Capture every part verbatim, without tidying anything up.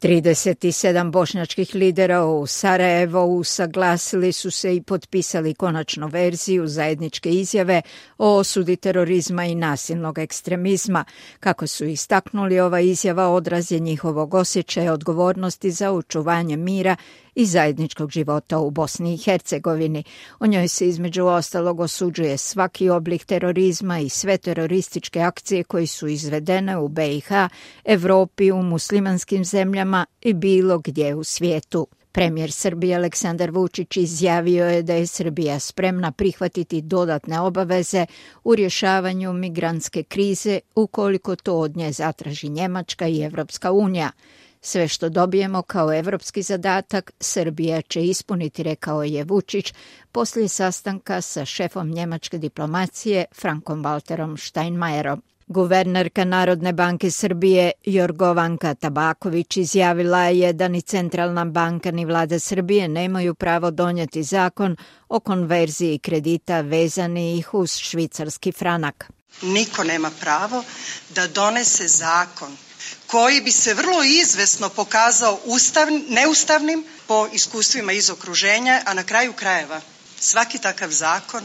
trideset sedam bošnjačkih lidera u Sarajevu usaglasili su se i potpisali konačnu verziju zajedničke izjave o osudi terorizma i nasilnog ekstremizma. Kako su istaknuli, ova izjava odraz je njihovog osjećaja odgovornosti za očuvanje mira i zajedničkog života u Bosni i Hercegovini. U njoj se između ostalog osuđuje svaki oblik terorizma i sve terorističke akcije koje su izvedene u be i ha, Evropi, u muslimanskim zemljama i bilo gdje u svijetu. Premijer Srbije Aleksandar Vučić izjavio je da je Srbija spremna prihvatiti dodatne obaveze u rješavanju migrantske krize ukoliko to od nje zatraži Njemačka i Evropska unija. Sve što dobijemo kao evropski zadatak, Srbija će ispuniti, rekao je Vučić poslije sastanka sa šefom njemačke diplomacije Frankom Walterom Steinmeierom. Guvernerka Narodne banke Srbije Jorgovanka Tabaković izjavila je da ni Centralna banka ni vlada Srbije nemaju pravo donijeti zakon o konverziji kredita vezanih uz švicarski franak. Niko nema pravo da donese zakon koji bi se vrlo izvesno pokazao ustavn, neustavnim po iskustvima iz okruženja, a na kraju krajeva svaki takav zakon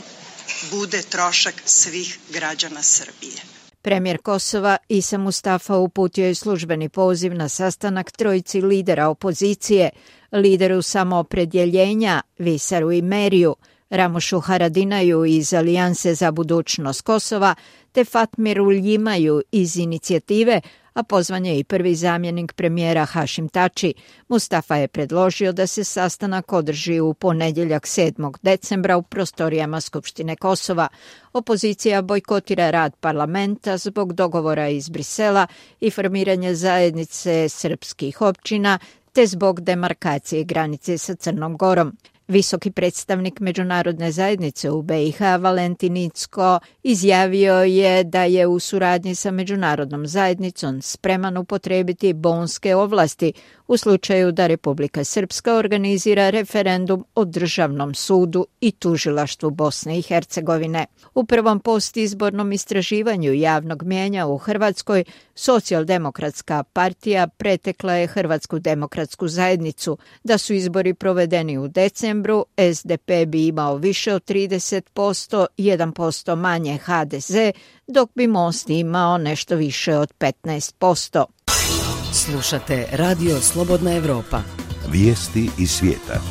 bude trošak svih građana Srbije. Premijer Kosova Isa Mustafa uputio je službeni poziv na sastanak trojici lidera opozicije, lideru samoopredjeljenja Visaru i Meriju, Ramošu Haradinaju iz Alijanse za budućnost Kosova te Fatmiru Ljimaju iz Inicijative, a pozvan je i prvi zamjenik premijera Hašim Tači. Mustafa je predložio da se sastanak održi u ponedjeljak sedmog decembra u prostorijama Skupštine Kosova. Opozicija bojkotira rad parlamenta zbog dogovora iz Brisela i formiranja zajednice srpskih općina te zbog demarkacije granice sa Crnom Gorom. Visoki predstavnik međunarodne zajednice u be i ha Valentin Incko izjavio je da je u suradnji sa međunarodnom zajednicom spreman upotrijebiti bonske ovlasti u slučaju da Republika Srpska organizira referendum o državnom sudu i tužilaštvu Bosne i Hercegovine. U prvom postizbornom istraživanju javnog mijenja u Hrvatskoj Socijaldemokratska partija pretekla je Hrvatsku demokratsku zajednicu. Da su izbori provedeni u decembru, es de pe bi imao više od trideset posto, jedan posto manje ha de ze, dok bi Most imao nešto više od petnaest posto. Slušate Radio Slobodna Evropa. Vijesti iz svijeta.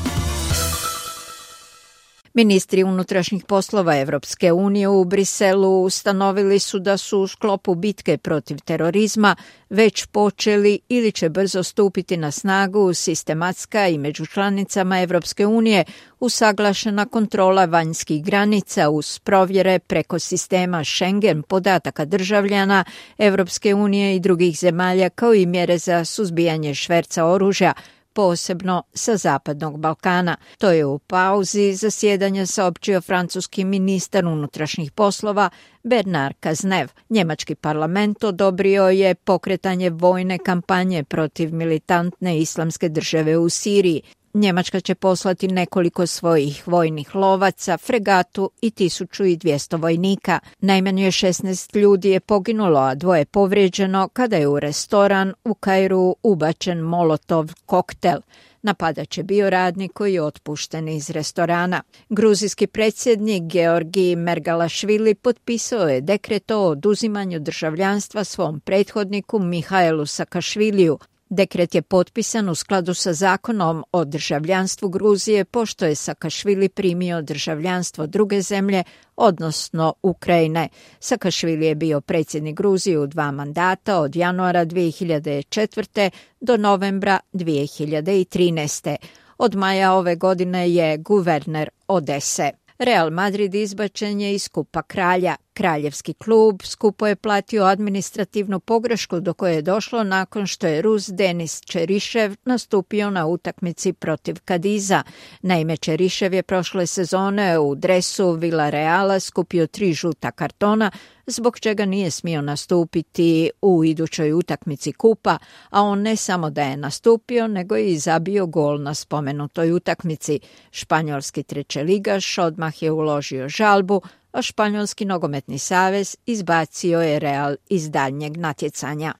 Ministri unutrašnjih poslova Evropske unije u Briselu ustanovili su da su u sklopu bitke protiv terorizma već počeli ili će brzo stupiti na snagu sistematska i među članicama Evropske unije usaglašena kontrola vanjskih granica uz provjere preko sistema Schengen podataka državljana Evropske unije i drugih zemalja, kao i mjere za suzbijanje šverca oružja, posebno sa Zapadnog Balkana. To je u pauzi zasjedanja saopćio francuski ministar unutrašnjih poslova Bernard Cazeneuve. Njemački parlament odobrio je pokretanje vojne kampanje protiv militantne islamske države u Siriji. Njemačka će poslati nekoliko svojih vojnih lovaca, fregatu i tisuću dvjesto vojnika. Najmanje šesnaest ljudi je poginulo, a dvoje povrijeđeno kada je u restoran u Kairu ubačen molotov koktel. Napadač je bio radnik koji je otpušten iz restorana. Gruzijski predsjednik Georgi Mergalašvili potpisao je dekret o oduzimanju državljanstva svom prethodniku Mihajlu Sakašviliju. Dekret je potpisan u skladu sa zakonom o državljanstvu Gruzije, pošto je Sakašvili primio državljanstvo druge zemlje, odnosno Ukrajine. Sakašvili je bio predsjednik Gruzije u dva mandata od januara dvije hiljade četvrte do novembra dvije hiljade trinaeste. Od maja ove godine je guverner Odese. Real Madrid izbačen je iz Kupa kralja. Kraljevski klub skupo je platio administrativnu pogrešku do koje je došlo nakon što je Rus Denis Čerišev nastupio na utakmici protiv Kadiza. Naime, Čerišev je prošle sezone u dresu Villareala skupio tri žuta kartona, zbog čega nije smio nastupiti u idućoj utakmici kupa, a on ne samo da je nastupio, nego je i zabio gol na spomenutoj utakmici. Španjolski trećeligaš odmah je uložio žalbu, a Španjolski nogometni savez izbacio je Real iz daljnjeg natjecanja.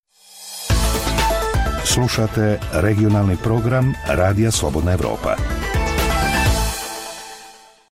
Slušate regionalni program Radija Slobodna Evropa.